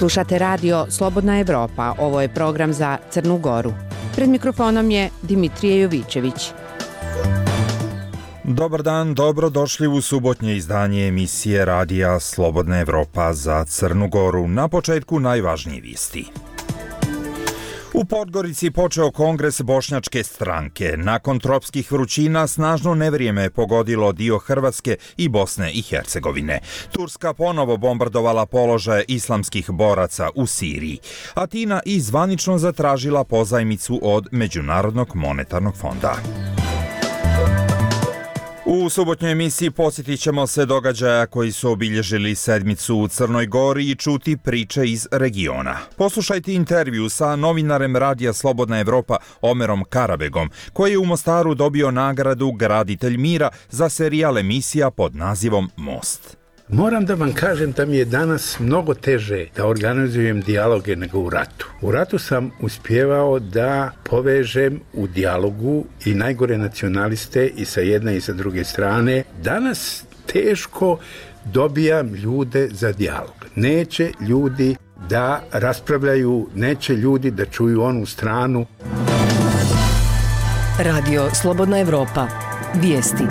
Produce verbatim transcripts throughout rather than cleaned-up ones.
Slušate radio Slobodna Evropa, ovo je program za Crnu Goru. Pred mikrofonom je Dimitrije Jovićević. Dobar dan, dobrodošli u subotnje izdanje emisije radija Slobodna Evropa za Crnu Goru. Na početku najvažnije vijesti. U Podgorici počeo kongres Bošnjačke stranke. Nakon tropskih vrućina snažno nevrijeme je pogodilo dio Hrvatske i Bosne i Hercegovine. Turska ponovo bombardovala položaje islamskih boraca u Siriji. Atina i zvanično zatražila pozajmicu od Međunarodnog monetarnog fonda. U subotnjoj emisiji posjetit ćemo se događaja koji su obilježili sedmicu u Crnoj Gori i čuti priče iz regiona. Poslušajte intervju sa novinarem radija Slobodna Evropa Omerom Karabegom, koji je u Mostaru dobio nagradu Graditelj mira za serijal emisija pod nazivom Most. Moram da vam kažem da mi je danas mnogo teže da organizujem dijaloge nego u ratu. U ratu sam uspjevao da povežem u dijalogu i najgore nacionaliste i sa jedne i sa druge strane. Danas teško dobijam ljude za dijalog. Neće ljudi da raspravljaju, neće ljudi da čuju onu stranu. Radio Slobodna Evropa. Vijesti.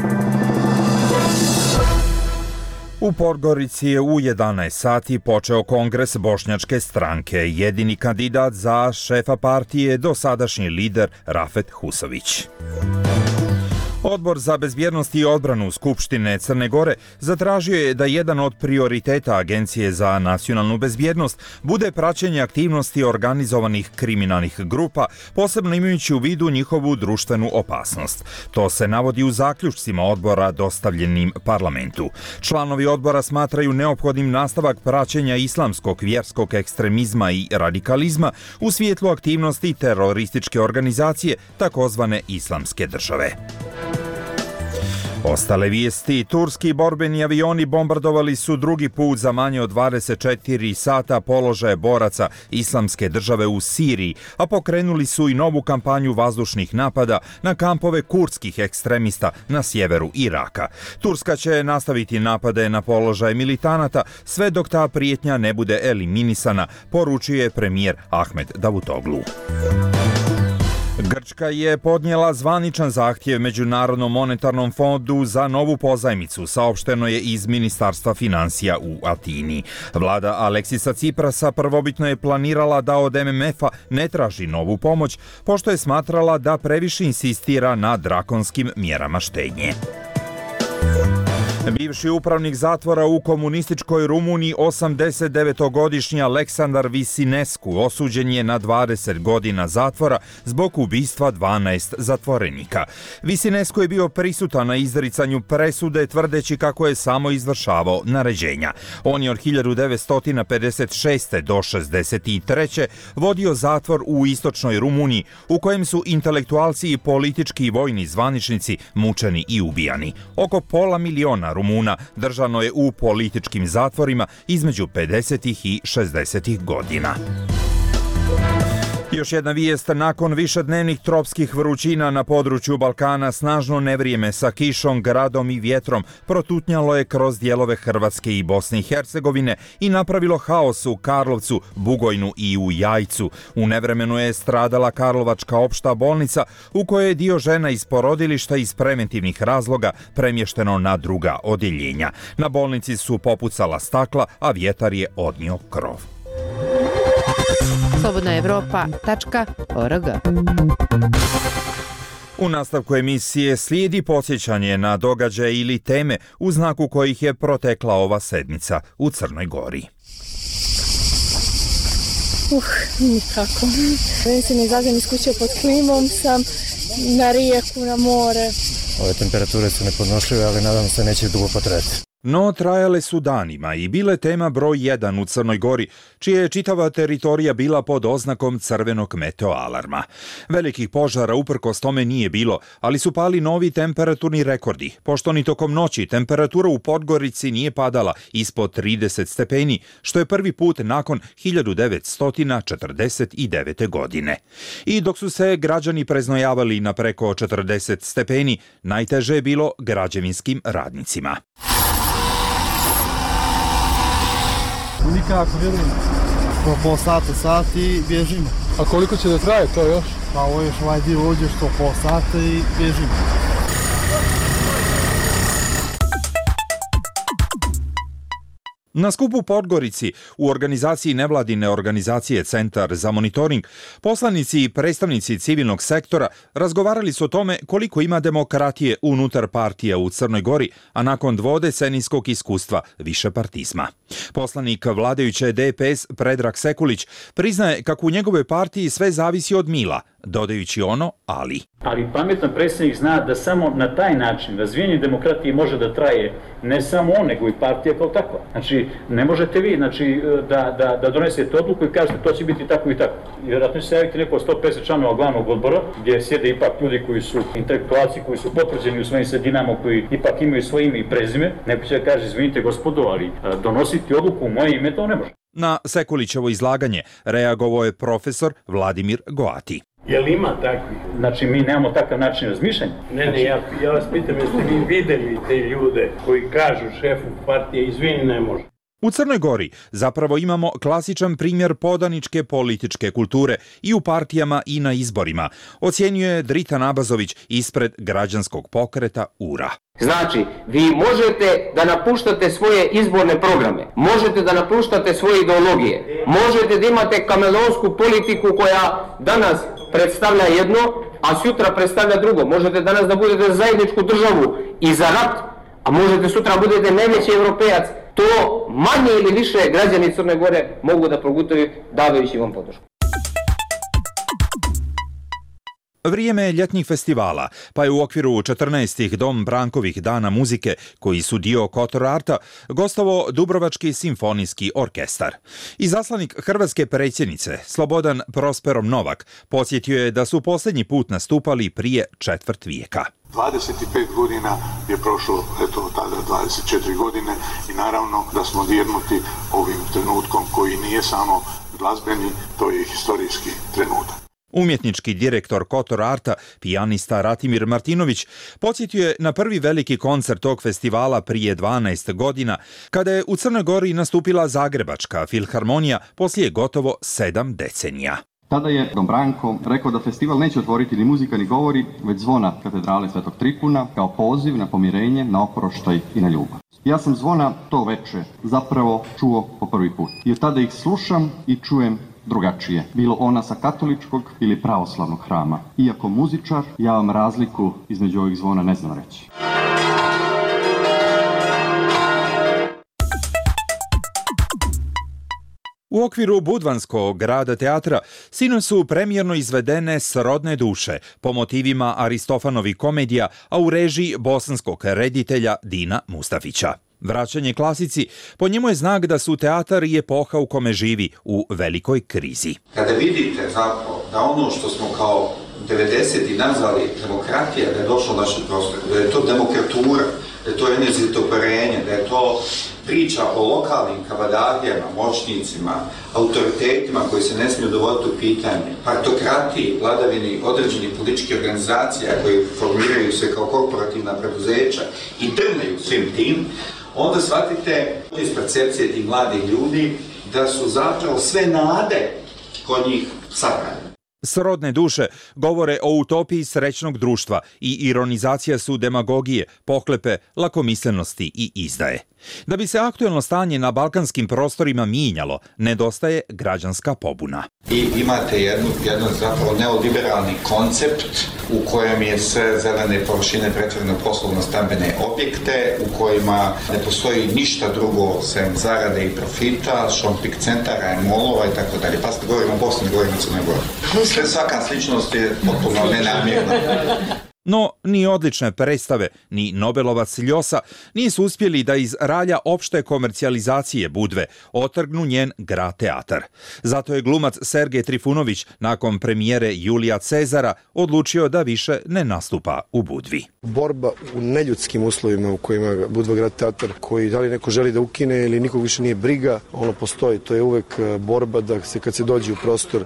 U Podgorici je u jedanaest sati počeo kongres Bošnjačke stranke. Jedini kandidat za šefa partije je dosadašnji lider Rafet Husović. Odbor za bezbjednost i odbranu Skupštine Crne Gore zatražio je da jedan od prioriteta Agencije za nacionalnu bezbjednost bude praćenje aktivnosti organizovanih kriminalnih grupa, posebno imajući u vidu njihovu društvenu opasnost. To se navodi u zaključcima odbora dostavljenim parlamentu. Članovi odbora smatraju neophodnim nastavak praćenja islamskog vjerskog ekstremizma i radikalizma u svjetlu aktivnosti terorističke organizacije takozvane Islamske države. Ostale vijesti. Turski borbeni avioni bombardovali su drugi put za manje od dvadeset četiri sata položaje boraca Islamske države u Siriji, a pokrenuli su i novu kampanju vazdušnih napada na kampove kurdskih ekstremista na sjeveru Iraka. Turska će nastaviti napade na položaje militanata sve dok ta prijetnja ne bude eliminisana, poručio je premijer Ahmed Davutoglu. Grčka je podnijela zvaničan zahtjev Međunarodnom monetarnom fondu za novu pozajmicu, saopšteno je iz Ministarstva financija u Atini. Vlada Aleksisa Ciprasa prvobitno je planirala da od M M F-a ne traži novu pomoć, pošto je smatrala da previše insistira na drakonskim mjerama štednje. Bivši upravnik zatvora u komunističkoj Rumuniji, osamdesetdevetogodišnji Aleksandar Visinescu, osuđen je na dvadeset godina zatvora zbog ubistva dvanaest zatvorenika. Visinescu je bio prisutan na izricanju presude, tvrdeći kako je samo izvršavao naređenja. On je od hiljadu devetsto pedeset šeste. do šezdeset treće. vodio zatvor u istočnoj Rumuniji, u kojem su intelektualci i politički i vojni zvaničnici mučeni i ubijani. Oko pola miliona Rumuna držano je u političkim zatvorima između pedesetih i šezdesetih godina. Još jedna vijest, nakon višednevnih tropskih vrućina na području Balkana, snažno nevrijeme sa kišom, gradom i vjetrom protutnjalo je kroz dijelove Hrvatske i Bosne i Hercegovine i napravilo haos u Karlovcu, Bugojnu i u Jajcu. U nevremenu je stradala Karlovačka opšta bolnica, u kojoj je dio žena iz porodilišta iz preventivnih razloga premješteno na druga odjeljenja. Na bolnici su popucala stakla, a vjetar je odnio krov. slobodna evropa tačka org. U nastavku emisije slijedi podsjećanje na događaje ili teme u znaku kojih je protekla ova sedmica u Crnoj Gori. Uh, nikako. Već se ne izađem iz kuće pod klimom, sam na rijeku, na more. Ove temperature su nepodnošljive, ali nadam se neće dugo potrajati. No, trajale su danima i bile tema broj jedan u Crnoj Gori, čija je čitava teritorija bila pod oznakom crvenog meteoalarma. Velikih požara uprkos tome nije bilo, ali su pali novi temperaturni rekordi, pošto ni tokom noći temperatura u Podgorici nije padala ispod trideset stepeni, što je prvi put nakon hiljadu devetsto četrdeset devete. godine. I dok su se građani preznojavali na preko četrdeset stepeni, najteže je bilo građevinskim radnicima. Nikako, vjerujem. Po pol sata, sat i bježimo. A koliko će da traje to još? Pa ovo još ovaj dio uđeš to pol sata i bježimo. Na skupu u Podgorici u organizaciji nevladine organizacije Centar za monitoring poslanici i predstavnici civilnog sektora razgovarali su o tome koliko ima demokratije unutar partija u Crnoj Gori, a nakon dvodecenijskog iskustva višepartizma. Poslanik vladajuće D P S Predrag Sekulić priznaje kako u njegove partiji sve zavisi od mila, dodajući ono ali. Ali pametan predsjednik zna da samo na taj način razvijenje demokratije može da traje ne samo on, nego i partija kao takva. Znači, ne možete vi znači, da, da, da donesete odluku i kažete to će biti tako i tako. Vjerojatno će se javiti neko sto pedeset članova glavnog odbora, gdje sjede ipak ljudi koji su intelektualci, koji su potvrđeni u svojim sredinama, koji ipak imaju svoje ime i prezime. Neko će da kaže, izvinite gospodo, ali donositi odluku u moje ime to ne može. Na Sekulićevo izlaganje reagovao je profesor Vladimir Goati. Jel ima takvi? Znači, mi nemamo takav način razmišljanja. Ne, ne, ja, ja vas pitam, jeste vi vidjeli te ljude koji kažu šefu partije, izvini, ne može. U Crnoj Gori zapravo imamo klasičan primjer podaničke političke kulture i u partijama i na izborima, ocjenjuje Dritan Abazović ispred građanskog pokreta U R A. Znači, vi možete da napuštate svoje izborne programe, možete da napuštate svoje ideologije, možete da imate kameleonsku politiku koja danas predstavlja jedno, a sutra predstavlja drugo. Možete danas da budete za zajedničku državu i za rat, a možete sutra budete najveći evropejac. To manje ili više građani Crne Gore mogu da progutaju davajući vam podršku. Vrijeme je ljetnih festivala, pa je u okviru četrnaestih Dom Brankovih dana muzike, koji su dio Kotor Arta, gostovo Dubrovački simfonijski orkestar. Izaslanik hrvatske predsjednice, Slobodan Prosperom Novak, podsjetio je da su posljednji put nastupali prije četvrt vijeka. dvadeset pet godina je prošlo, eto tada dvadeset četiri godine i naravno da smo dirnuti ovim trenutkom koji nije samo glazbeni, to je i historijski trenutak. Umjetnički direktor Kotor Arta, pijanista Ratimir Martinović, podsjetio je na prvi veliki koncert tog festivala prije dvanaest godina, kada je u Crnoj Gori nastupila Zagrebačka filharmonija poslije gotovo sedam decenija. Tada je Dom Branko rekao da festival neće otvoriti ni muzika ni govori, već zvona katedrale Svetog Tripuna kao poziv na pomirenje, na oproštaj i na ljubav. Ja sam zvona to veče zapravo čuo po prvi put. I od tada ih slušam i čujem drugačije. Bilo ona sa katoličkog ili pravoslavnog hrama. Iako muzičar, ja vam razliku između ovih zvona ne znam reći. U okviru Budvanskog grada teatra sinoć su premijerno izvedene Srodne duše po motivima Aristofanovih komedija, a u režiji bosanskog reditelja Dina Mustafića. Vraćanje klasici po njemu je znak da su teatar i epoha u kome živi u velikoj krizi. Kada vidite zapravo da ono što smo kao devedeseti nazvali demokratija, da je došlo u naše prostore, da je to demokratura, da je to enerzitoparenje, da je to priča o lokalnim kavadardijama, moćnicima, autoritetima koji se ne smiju dovoditi u pitanje, partokratiji, vladavini određenih političkih organizacija koji formiraju se kao korporativna preduzeća i drmaju svim tim, onda shvatite iz percepcije tih mladih ljudi da su zapravo sve nade kod njih sakrane. Srodne duše govore o utopiji srećnog društva i ironizacija su demagogije, pohlepe, lakomislenosti i izdaje. Da bi se aktuelno stanje na balkanskim prostorima mijenjalo, nedostaje građanska pobuna. I imate jednu, jedan zapravo neoliberalni koncept u kojem je sve zelene površine pretvorene u poslovno-stambene objekte, u kojima ne postoji ništa drugo sem zarade i profita, shopping centara, molova i tako dalje. Pa ste govorimo o Bosni, govorimo o Crnoj Gori. Sve svaka sličnost je potpuno nenamjerna. No, ni odlične predstave, ni Nobelovac Ljosa nisu uspjeli da iz ralja opšte komercijalizacije Budve otrgnu njen grad teatar. Zato je glumac Sergej Trifunović nakon premijere Julija Cezara odlučio da više ne nastupa u Budvi. Borba u neljudskim uslovima u kojima Budva grad teatar, koji da li neko želi da ukine ili nikog više nije briga, ono postoji. To je uvek borba da se kad se dođe u prostor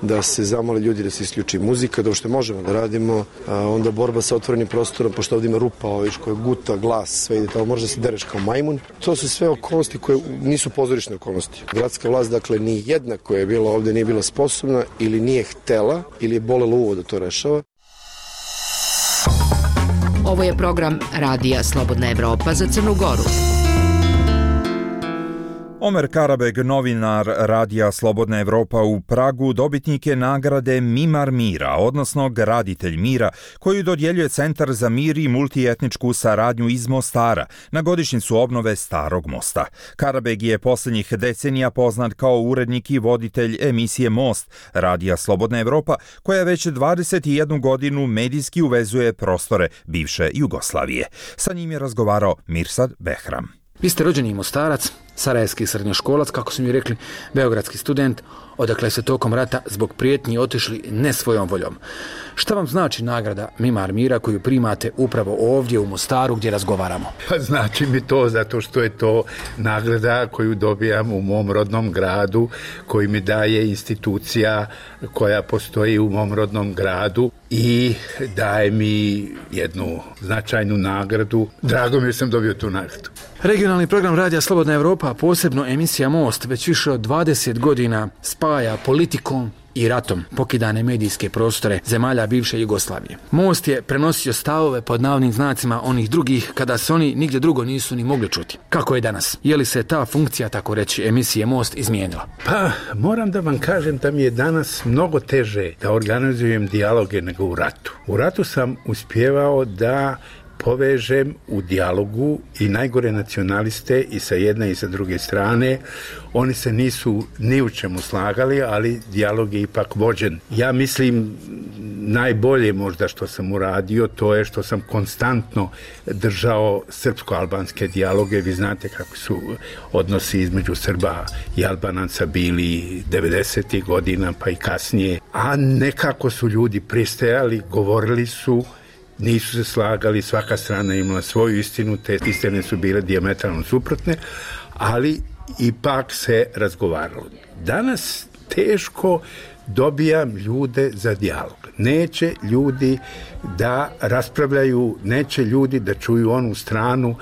da se zamole ljudi da se isključi muzika, da što možemo da radimo, a onda borba sa otvorenim prostorom, pošto ovdje ima rupa, oviš koja guta, glas, sve ide tamo, može da se dereš kao majmun. To su sve okolnosti koje nisu pozorišne okolnosti. Gradska vlast, dakle, ni jedna koja je bila ovdje nije bila sposobna ili nije htela ili je bolelo uvo da to rešava. Ovo je program Radija Slobodna Evropa za Crnu Goru. Omer Karabeg, novinar Radija Slobodna Evropa u Pragu, dobitnik je nagrade Mimar mira, odnosno Graditelj mira, koju dodjeljuje Centar za mir i multietničku saradnju iz Mostara na godišnjicu obnove Starog mosta. Karabeg je posljednjih decenija poznat kao urednik i voditelj emisije Most Radija Slobodna Evropa, koja već dvadeset jednu godinu medijski uvezuje prostore bivše Jugoslavije. Sa njim je razgovarao Mirsad Behram. Vi ste rođeni Mostarac, sarajevski srednjoškolac, kako su mi rekli, beogradski student, odakle se tokom rata zbog prijetnji otišli ne svojom voljom. Šta vam znači nagrada Mimar mira koju primate upravo ovdje u Mostaru gdje razgovaramo? Pa znači mi to zato što je to nagrada koju dobijam u mom rodnom gradu, koji mi daje institucija koja postoji u mom rodnom gradu i daje mi jednu značajnu nagradu. Drago mi je sam dobio tu nagradu. Regionalni program Radija Slobodna Evropa, a posebno emisija Most, već više od dvadeset godina spaja politikom i ratom pokidane medijske prostore zemalja bivše Jugoslavije. Most je prenosio stavove pod navodnim znacima onih drugih kada se oni nigdje drugo nisu ni mogli čuti. Kako je danas? Je li se ta funkcija, tako reći, emisije Most izmijenila? Pa, moram da vam kažem da mi je danas mnogo teže da organizujem dijaloge nego u ratu. U ratu sam uspjevao da povežem u dijalogu i najgore nacionaliste i sa jedne i sa druge strane. Oni se nisu ni u čemu slagali, ali dijalog je ipak vođen. Ja mislim najbolje možda što sam uradio, to je što sam konstantno držao srpsko-albanske dijaloge. Vi znate kako su odnosi između Srba i Albanaca bili devedesetih godina pa i kasnije. A nekako su ljudi pristajali, govorili su, nisu se slagali, svaka strana imala svoju istinu, te istine su bile dijametralno suprotne, ali ipak se razgovaralo. Danas teško dobijam ljude za dijalog. Neće ljudi da raspravljaju, neće ljudi da čuju onu stranu.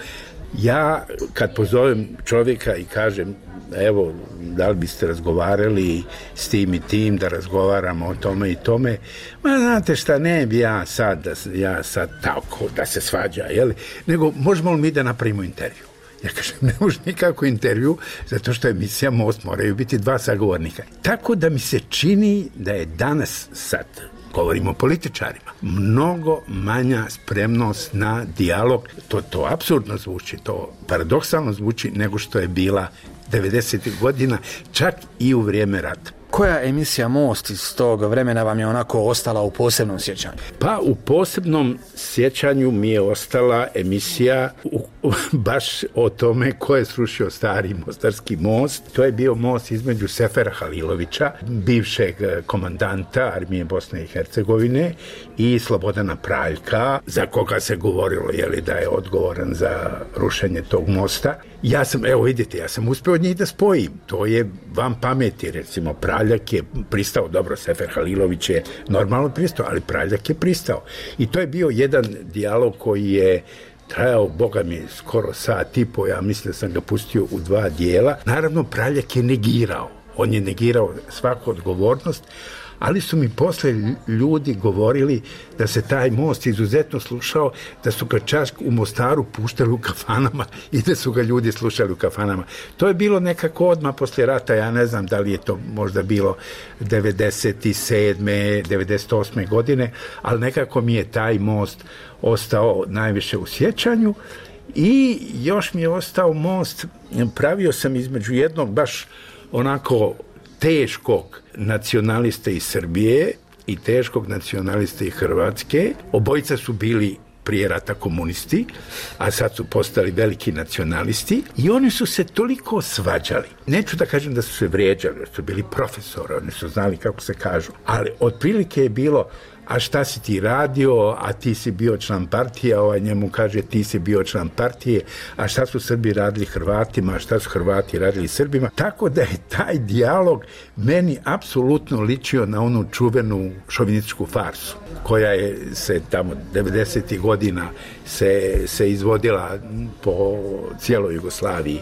Ja kad pozovem čovjeka i kažem, evo, da li biste razgovarali s tim i tim, da razgovaramo o tome i tome, ma znate šta, ne bi ja sad, da, ja sad tako da se svađa, jel? Nego možemo li mi da napravimo intervju? Ja kažem, ne može nikako intervju, zato što emisija Most moraju biti dva sagovornika. Tako da mi se čini da je danas sad, govorimo o političarima, mnogo manja spremnost na dijalog. To, to apsurdno zvuči, to paradoksalno zvuči nego što je bila devedesetih godina, čak i u vrijeme rata. Koja emisija Most iz tog vremena vam je onako ostala u posebnom sjećanju? Pa u posebnom sjećanju mi je ostala emisija u, u, baš o tome ko je srušio stari mostarski most. To je bio most između Sefera Halilovića, bivšeg komandanta armije Bosne i Hercegovine, i Slobodana Praljka, za koga se govorilo jeli, da je odgovoran za rušenje tog mosta. Ja sam, evo vidite, ja sam uspio od njih da spojim. To je van pameti, recimo Praljak je pristao, dobro, Sefer Halilović je normalno pristao, ali Praljak je pristao. I to je bio jedan dijalog koji je trajao, boga mi, skoro sat i po, ja mislim da sam ga pustio u dva dijela. Naravno, Praljak je negirao. On je negirao svaku odgovornost, ali su mi posle ljudi govorili da se taj most izuzetno slušao, da su ga čak u Mostaru puštali u kafanama i da su ga ljudi slušali u kafanama. To je bilo nekako odmah posle rata, ja ne znam da li je to možda bilo devedeset sedme, devedeset osme godine, ali nekako mi je taj most ostao najviše u sjećanju. I još mi je ostao most, pravio sam između jednog baš onako teškog nacionaliste iz Srbije i teškog nacionaliste iz Hrvatske. Obojica su bili prije rata komunisti, a sad su postali veliki nacionalisti i oni su se toliko svađali. Neću da kažem da su se vrijeđali, jer su bili profesori, oni su znali kako se kažu, ali otprilike je bilo, a šta si ti radio, a ti si bio član partije, a ovaj njemu kaže ti si bio član partije, a šta su Srbi radili Hrvatima, a šta su Hrvati radili Srbima. Tako da je taj dijalog meni apsolutno ličio na onu čuvenu šovinističku farsu, koja je se tamo devedesetih godina se, se izvodila po cijeloj Jugoslaviji.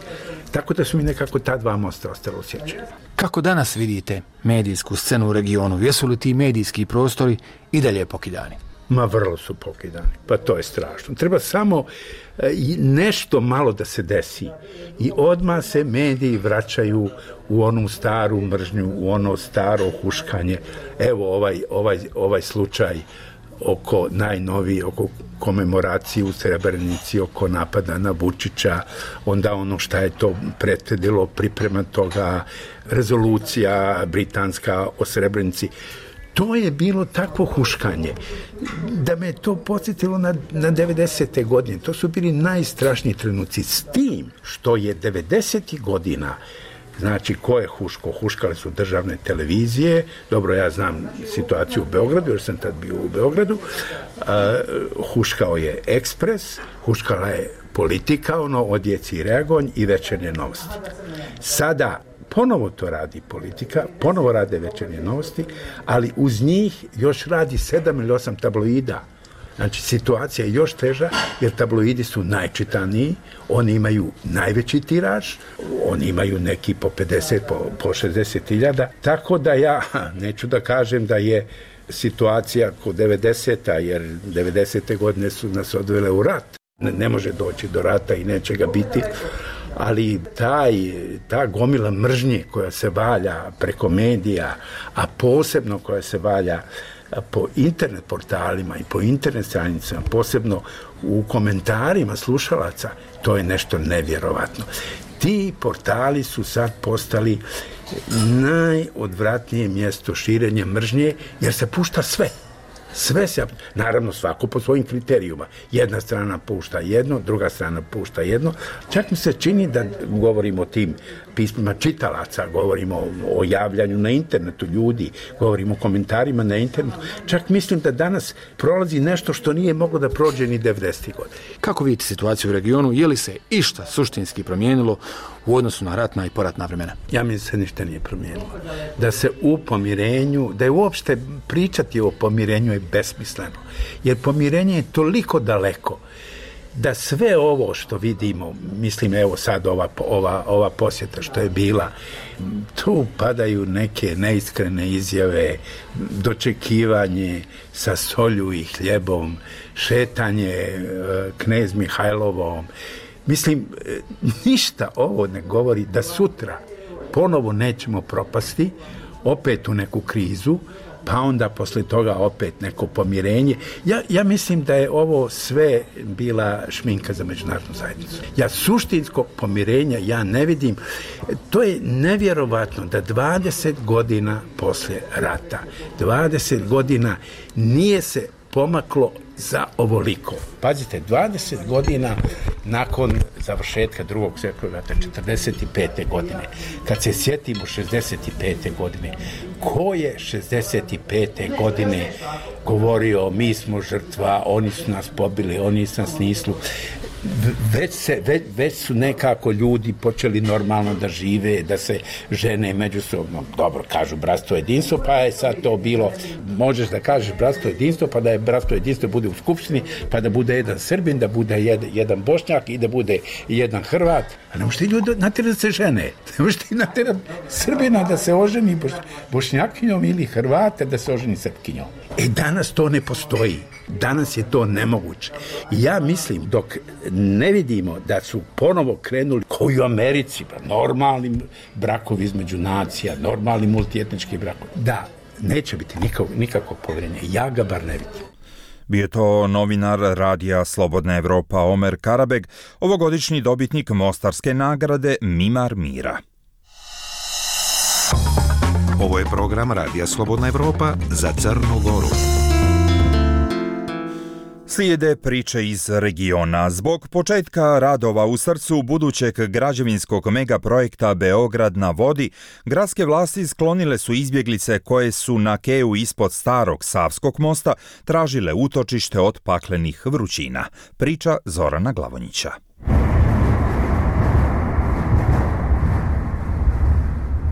Tako da su mi nekako ta dva mosta ostala u sjećanju. Kako danas vidite medijsku scenu u regionu? Jesu li ti medijski prostori i dalje pokidani? Ma vrlo su pokidani. Pa to je strašno. Treba samo e, nešto malo da se desi. I odmah se mediji vraćaju u onu staru mržnju, u ono staro huškanje. Evo ovaj, ovaj, ovaj slučaj oko najnoviji, oko komemoracije u Srebrenici, oko napada na Vučića, onda ono šta je to prethodilo, priprema toga, rezolucija britanska o Srebrenici. To je bilo takvo huškanje da me to podsjetilo na, na devedesete godine. To su bili najstrašniji trenuci. S tim što je devedesetih godina, znači, ko je huško? Huškale su državne televizije. Dobro, ja znam situaciju u Beogradu, jer sam tad bio u Beogradu. Uh, huškao je Ekspres, huškala je Politika, ono, Odjeci i Reagonj i Večernje novosti. Sada ponovo to radi Politika, ponovo rade Večernje novosti, ali uz njih još radi sedam ili osam tabloida. Znači, situacija je još teža, jer tabloidi su najčitaniji, oni imaju najveći tiraž, oni imaju neki po pedeset, po, po šezdeset hiljada, tako da ja neću da kažem da je situacija kod devedeseta, jer devedesete godine su nas odvele u rat. Ne, ne može doći do rata i neće ga biti, ali taj, ta gomila mržnje koja se valja preko medija, a posebno koja se valja po internet portalima i po internet stranicama, posebno u komentarima slušalaca, to je nešto nevjerovatno. Ti portali su sad postali najodvratnije mjesto širenja mržnje, jer se pušta sve. Sve se, naravno svako po svojim kriterijuma. Jedna strana pušta jedno, druga strana pušta jedno. Čak mi se čini da govorimo o tim pismima čitalaca, govorimo o, o javljanju na internetu ljudi, govorimo o komentarima na internetu. Čak mislim da danas prolazi nešto što nije moglo da prođe ni devedesetih godina. Kako vidite situaciju u regionu? Je li se išta suštinski promijenilo u odnosu na ratna i poratna vremena? Ja mislim da se ništa nije promijenilo. Da se u pomirenju, da je uopšte pričati o pomirenju je besmisleno. Jer pomirenje je toliko daleko da sve ovo što vidimo, mislim evo sad ova, ova, ova posjeta što je bila, tu padaju neke neiskrene izjave, dočekivanje sa solju i hljebom, šetanje knez Mihajlovom. Mislim, ništa ovo ne govori da sutra ponovo nećemo propasti, opet u neku krizu, pa onda posle toga opet neko pomirenje. Ja, ja mislim da je ovo sve bila šminka za međunarodnu zajednicu. Ja suštinskog pomirenja ja ne vidim. To je nevjerovatno da dvadeset godina posle rata, dvadeset godina nije se pomaklo za ovoliko. Pazite, dvadeset godina nakon završetka drugog svjetskog rata, četrdeset pete godine, kad se sjetimo šezdeset pete godine, ko je šezdeset pete godine govorio mi smo žrtva, oni su nas pobili, oni su nas nislu. Već, se, već, već su nekako ljudi počeli normalno da žive, da se žene međusobno, dobro, kažu bratstvo jedinstvo, pa je sad to bilo, možeš da kažeš bratstvo jedinstvo, pa da je bratstvo jedinstvo bude u skupštini, pa da bude jedan Srbin, da bude jedan, jedan Bošnjak i da bude jedan Hrvat. A ne možete ljudi natjerati da se žene, ne možete natjerati Srbina da se oženi boš, Bošnjakinjom ili Hrvate da se oženi Srpkinjom. E danas to ne postoji. Danas je to nemoguće. I ja mislim, dok ne vidimo da su ponovo krenuli koji u Americi, normalni brakovi između nacija, normalni multietnički brakovi, da, neće biti nikakvog, nikakvog povjerenja. Ja ga bar ne vidim. Bio to novinar Radija Slobodna Evropa Omer Karabeg, ovogodišnji dobitnik Mostarske nagrade Mimar mira. Ovo je program Radija Slobodna Evropa za Crnu Goru. Slijede priče iz regiona. Zbog početka radova u srcu budućeg građevinskog megaprojekta Beograd na vodi, gradske vlasti sklonile su izbjeglice koje su na keju ispod starog Savskog mosta tražile utočište od paklenih vrućina. Priča Zorana Glavonjića.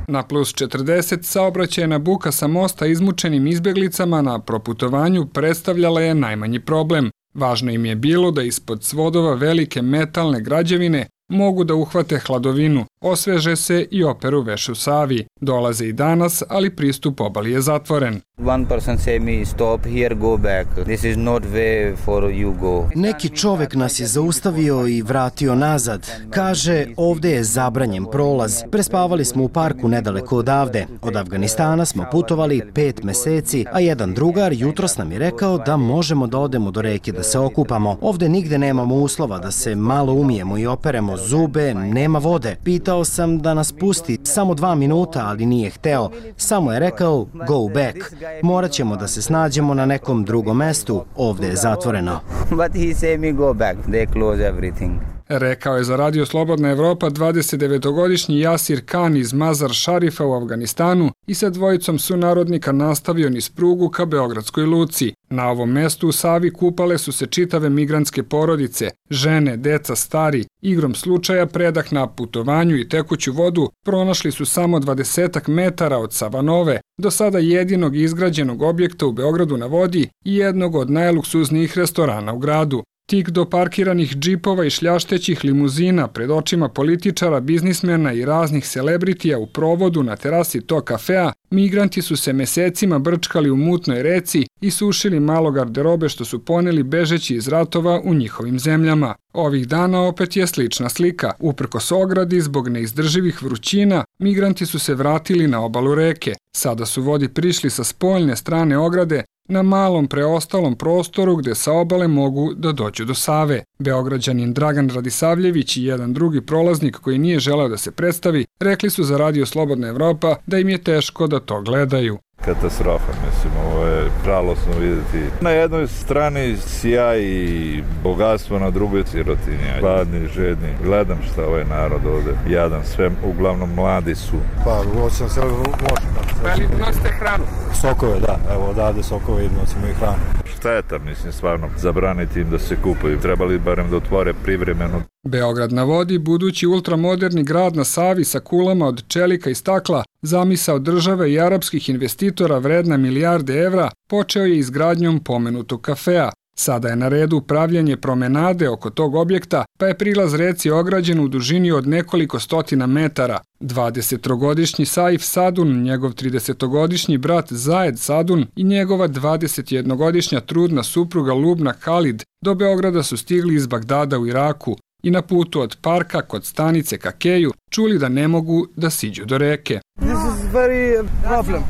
Na plus četrdeset saobraćajna buka sa mosta izmučenim izbjeglicama na proputovanju predstavljala je najmanji problem. Važno im je bilo da ispod svodova velike metalne građevine mogu da uhvate hladovinu, osveže se i operu veš u Savi. Dolaze i danas, ali pristup obali je zatvoren. One person say me stop here, go back. This is not way for you go. Neki čovek nas je zaustavio i vratio nazad. Kaže, ovde je zabranjen prolaz. Prespavali smo u parku nedaleko odavde. Od Afganistana smo putovali pet meseci, a jedan drugar jutros nam je rekao da možemo da odemo do reke da se okupamo. Ovde nigde nemamo uslova da se malo umijemo i operemo zube, nema vode. Pitao sam da nas pusti samo dva minuta, ali nije hteo. Samo je rekao, go back. Morat ćemo da se snađemo na nekom drugom mestu, ovde je zatvoreno. But he say me go back, they close everything. Rekao je za Radio Slobodna Evropa dvadesetdevetogodišnji Jasir Khan iz Mazar Šarifa u Afganistanu i sa dvojicom sunarodnika nastavio niz prugu ka Beogradskoj luci. Na ovom mestu u Savi kupale su se čitave migrantske porodice, žene, deca, stari. Igrom slučaja predah na putovanju i tekuću vodu pronašli su samo dvadesetak metara od Savanove, do sada jedinog izgrađenog objekta u Beogradu na vodi i jednog od najluksuznijih restorana u gradu. Tik do parkiranih džipova i šljaštećih limuzina pred očima političara, biznismena i raznih celebritija u provodu na terasi tog kafea, migranti su se mesecima brčkali u mutnoj reci i sušili malo garderobe što su poneli bežeći iz ratova u njihovim zemljama. Ovih dana opet je slična slika. Uprkos ogradi, zbog neizdrživih vrućina, migranti su se vratili na obalu reke. Sada su vodi prišli sa spoljne strane ograde, na malom preostalom prostoru gde sa obale mogu da dođu do Save. Beograđanin Dragan Radisavljević i jedan drugi prolaznik koji nije želeo da se predstavi, rekli su za Radio Slobodna Evropa da im je teško da to gledaju. Katastrofa, mislim, ovo je žalosno vidjeti. Na jednoj strani sjaj i bogatstvo, na drugoj sirotinja. Gladni, žedni. Gledam šta ovaj narod ovde jadan, sve uglavnom mladi su. Pa, hoćem se loši. Pa li nosite hranu? Sokove, da. Evo odavde sokove i nosimo i hranu. Šteta, mislim, stvarno, zabraniti im da se kupaju. Trebali barem da otvore privremeno. Beograd na vodi, budući ultramoderni grad na Savi sa kulama od čelika i stakla, zamisao države i arapskih investitora vredna milijarde evra, počeo je izgradnjom pomenutog kafea. Sada je na redu pravljanje promenade oko tog objekta, pa je prilaz reci ograđen u dužini od nekoliko stotina metara. dvadesettrogodišnji Saif Sadun, njegov tridesetogodišnji brat Zajed Sadun i njegova dvadesetjednogodišnja trudna supruga Lubna Khalid do Beograda su stigli iz Bagdada u Iraku i na putu od parka kod stanice ka keju čuli da ne mogu da siđu do reke. This is very problem.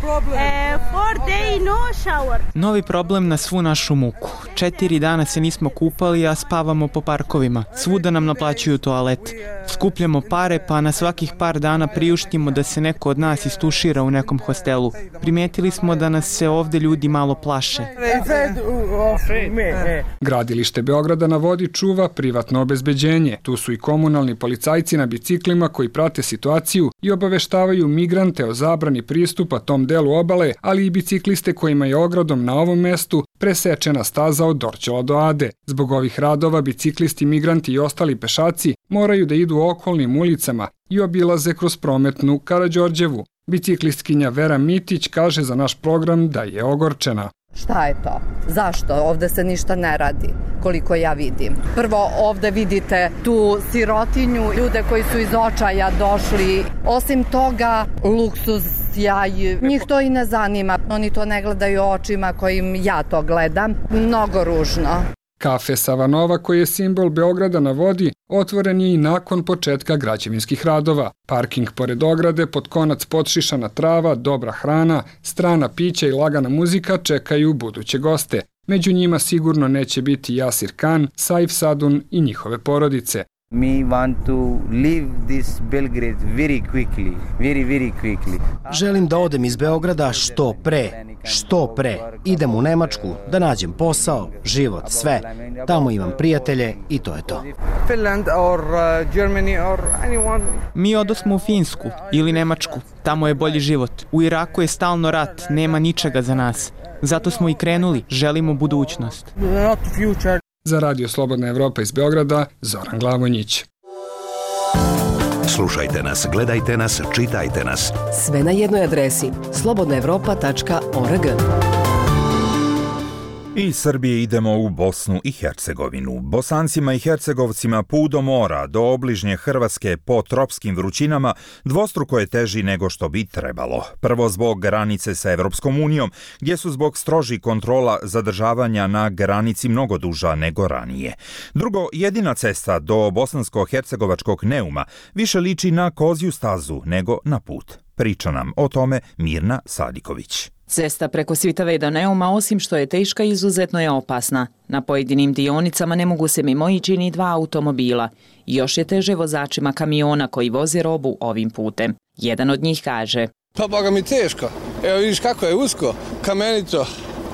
Novi problem na svu našu muku. Četiri dana se nismo kupali, a spavamo po parkovima. Svuda nam naplaćuju toalet. Skupljamo pare, pa na svakih par dana priuštimo da se neko od nas istušira u nekom hostelu. Primetili smo da nas se ovde ljudi malo plaše. Gradilište Beograda na vodi čuva privatno obezbeđenje. Tu su i komunalni policajci na biciklima koji prate situaciju i obaveštavaju migrante o zabrani pristupa tom delu obale, ali i bicikliste kojima je ogradom na ovom mestu presečena staza od Dorćola do Ade. Zbog ovih radova biciklisti, migranti i ostali pešaci moraju da idu okolnim ulicama i obilaze kroz prometnu Karađorđevu. Biciklistkinja Vera Mitić kaže za naš program da je ogorčena. Šta je to? Zašto? Ovde se ništa ne radi, koliko ja vidim. Prvo, ovde vidite tu sirotinju, ljude koji su iz očaja došli. Osim toga, luksuz, sjaj, njih to i ne zanima. Oni to ne gledaju očima kojim ja to gledam. Mnogo ružno. Kafe Savanova, koji je simbol Beograda na vodi, otvoren je i nakon početka građevinskih radova. Parking pored ograde, pod konac podšišana trava, dobra hrana, strana pića i lagana muzika čekaju buduće goste. Među njima sigurno neće biti Jasir Khan, Saif Sadun i njihove porodice. We want to leave this Belgrade very quickly, very, very quickly. Želim da odem iz Beograda što pre, što pre. Idem u Nemačku da nađem posao, život, sve. Tamo imam prijatelje i to je to. Finland or uh, Germany or anyone. Mi odosmo u Finsku ili Nemačku. Tamo je bolji život. U Iraku je stalno rat, nema ničega za nas. Zato smo i krenuli, želimo budućnost. Not future. Za Radio Slobodna Evropa iz Beograda, Zoran Glavonjić. Slušajte nas, gledajte nas, čitajte nas. Sve na jednoj adresi slobodna evropa tačka org. Iz Srbije idemo u Bosnu i Hercegovinu. Bosancima i Hercegovcima put do mora, do obližnje Hrvatske po tropskim vrućinama dvostruko je teži nego što bi trebalo. Prvo zbog granice sa Evropskom unijom, gdje su zbog strožih kontrola zadržavanja na granici mnogo duža nego ranije. Drugo, jedina cesta do bosansko-hercegovačkog Neuma više liči na kozju stazu nego na put. Priča nam o tome Mirna Sadiković. Cesta preko Svitave do Neuma, osim što je teška, izuzetno je opasna. Na pojedinim dionicama ne mogu se mimo ići ni dva automobila. Još je teže vozačima kamiona koji voze robu ovim putem. Jedan od njih kaže: Pa boga mi teško. Evo vidiš kako je usko, kamenito.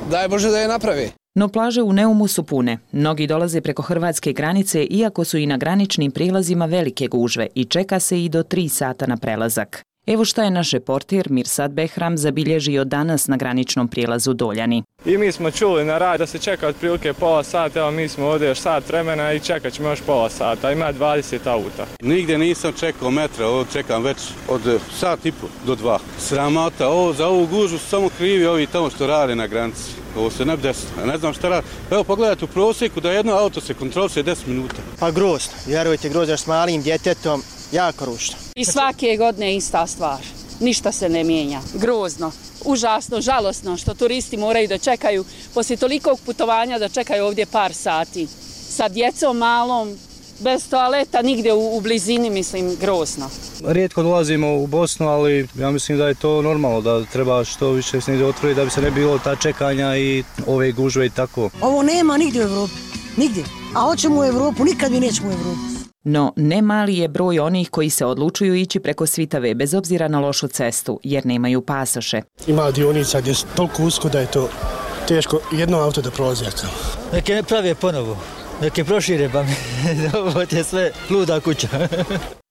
Daj Bože da je napravi. No plaže u Neumu su pune. Mnogi dolaze preko hrvatske granice, iako su i na graničnim prilazima velike gužve i čeka se i do tri sata na prelazak. Evo šta je naš reporter Mirsad Behram zabilježio danas na graničnom prijelazu Doljani. I mi smo čuli na rad da se čeka otprilike pola sata, evo mi smo ovdje još sat vremena i čekat ćemo još pola sata, ima dvadeset auta. Nigdje nisam čekao metra, ovo čekam već od sat i po do dva. Sramota, ovo, za ovu gužu su samo krivi ovi tamo što rade na granici. Ovo se ne bi desilo, ne znam šta radi. Evo pogledajte u prosjeku da jedno auto se kontroliše deset minuta. Pa grozno, vjerujte, grozno, s malim djetetom, jako ružno. I svake godine ista stvar, ništa se ne mijenja, grozno, užasno, žalosno što turisti moraju da čekaju poslije tolikog putovanja da čekaju ovdje par sati. Sa djecom malom, bez toaleta, nigdje u, u blizini, mislim, grozno. Rijetko dolazimo u Bosnu, ali ja mislim da je to normalno, da treba što više snijede otvoriti da bi se ne bilo ta čekanja i ove gužve i tako. Ovo nema nigdje u Evropi, nigdje, a hoćemo u Evropu, nikad mi nećemo u Evropu. No, ne mali je broj onih koji se odlučuju ići preko Svitave bez obzira na lošu cestu, jer nemaju pasoše. Ima dionica gdje je toliko usko da je to teško jedno auto da prolazi. Neke ne prave ponovo, neke prošire, pa mi ovo je sve luda kuća.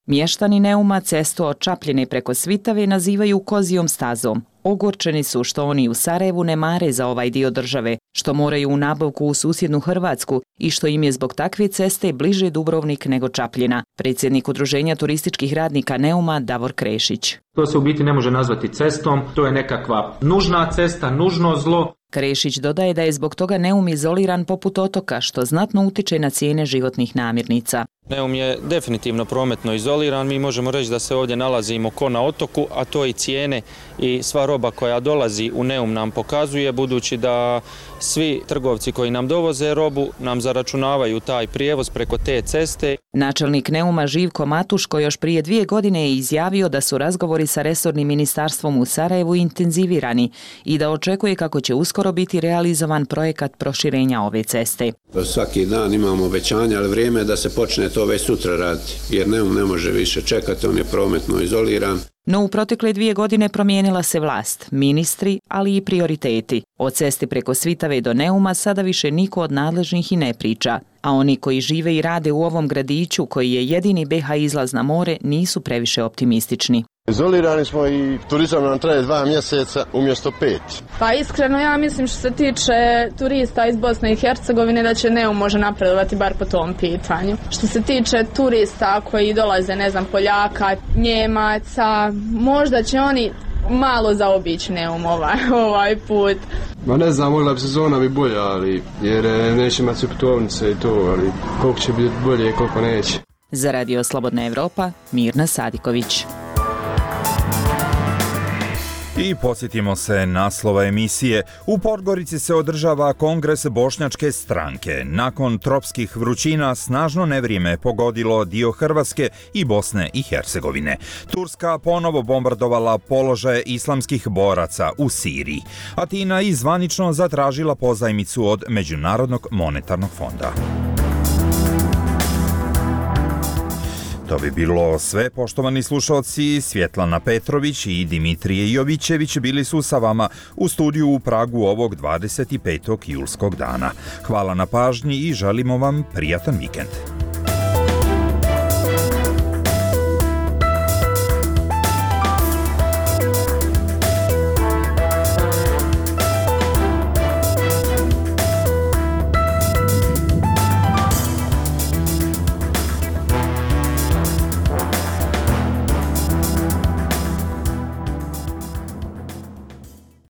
Mještani Neuma cestu od Čapljine preko Svitave nazivaju kozijom stazom. Ogorčeni su što oni u Sarajevu ne mare za ovaj dio države, što moraju u nabavku u susjednu Hrvatsku i što im je zbog takve ceste bliže Dubrovnik nego Čapljina. Predsjednik Udruženja turističkih radnika Neuma Davor Krešić. To se u biti ne može nazvati cestom, to je nekakva nužna cesta, nužno zlo. Krešić dodaje da je zbog toga Neum izoliran poput otoka, što znatno utiče na cijene životnih namirnica. Neum je definitivno prometno izoliran, mi možemo reći da se ovdje nalazimo ko na otoku, a to i cijene i sva roba koja dolazi u Neum nam pokazuje, budući da svi trgovci koji nam dovoze robu nam zaračunavaju taj prijevoz preko te ceste. Načelnik Neuma Živko Matuško još prije dvije godine je izjavio da su razgovori sa resornim ministarstvom u Sarajevu intenzivirani i da očekuje kako će uskoro biti realizovan projekat proširenja ove ceste. Svaki dan imamo obećanja, ali vrijeme je da se počne to već sutra raditi, jer Neum ne može više čekati, on je prometno izoliran. No u protekle dvije godine promijenila se vlast, ministri, ali i prioriteti. O cesti preko Svitave do Neuma sada više niko od nadležnih i ne priča, a oni koji žive i rade u ovom gradiću, koji je jedini be ha izlaz na more, nisu previše optimistični. Izolirani smo i turizam nam traje dva mjeseca umjesto pet. Pa iskreno ja mislim što se tiče turista iz Bosne i Hercegovine da će Neum može napredovati bar po tom pitanju. Što se tiče turista koji dolaze, ne znam, Poljaka, Njemaca, možda će oni malo zaobići Neum ovaj, ovaj put. Ma ne znam, mogla bi sezona bi bolja, ali jer neće imati putovnice i to, ali koliko će biti bolje i koliko neće. Za Radio Slobodna Evropa, Mirna Sadiković. I podsjetimo se naslova emisije. U Podgorici se održava kongres bošnjačke stranke. Nakon tropskih vrućina snažno nevrijeme pogodilo dio Hrvatske i Bosne i Hercegovine. Turska ponovo bombardovala položaje islamskih boraca u Siriji. Atina i zvanično zatražila pozajmicu od Međunarodnog monetarnog fonda. To bi bilo sve, poštovani slušalci. Svjetlana Petrović i Dimitrije Jovićević bili su sa vama u studiju u Pragu ovog dvadeset petog julskog dana. Hvala na pažnji i želimo vam prijatan vikend.